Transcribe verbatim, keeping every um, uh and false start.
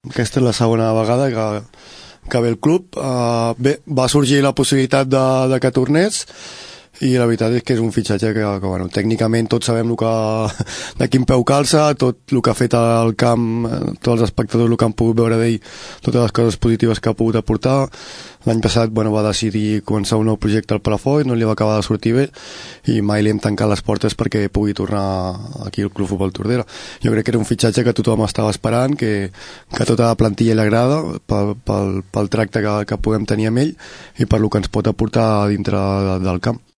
aquesta és la segona vegada que, que ve el club. Uh, bé, va sorgir la possibilitat de, de que tornés, i la veritat és que és un fitxatge que, que bueno, tècnicament tots sabem el que, de quin peu calça, tot el que ha fet al camp, tots els espectadors el que han pogut veure d'ell, totes les coses positives que ha pogut aportar. L'any passat bueno, va decidir començar un nou projecte al Palafolls, no li va acabar de sortir bé, i mai li hem tancat les portes perquè pugui tornar aquí al Club Futbol Tordera. Jo crec que era un fitxatge que tothom estava esperant, que, que tota la plantilla li agrada pel, pel, pel tracte que, que podem tenir amb ell i per lo que ens pot aportar dintre del camp.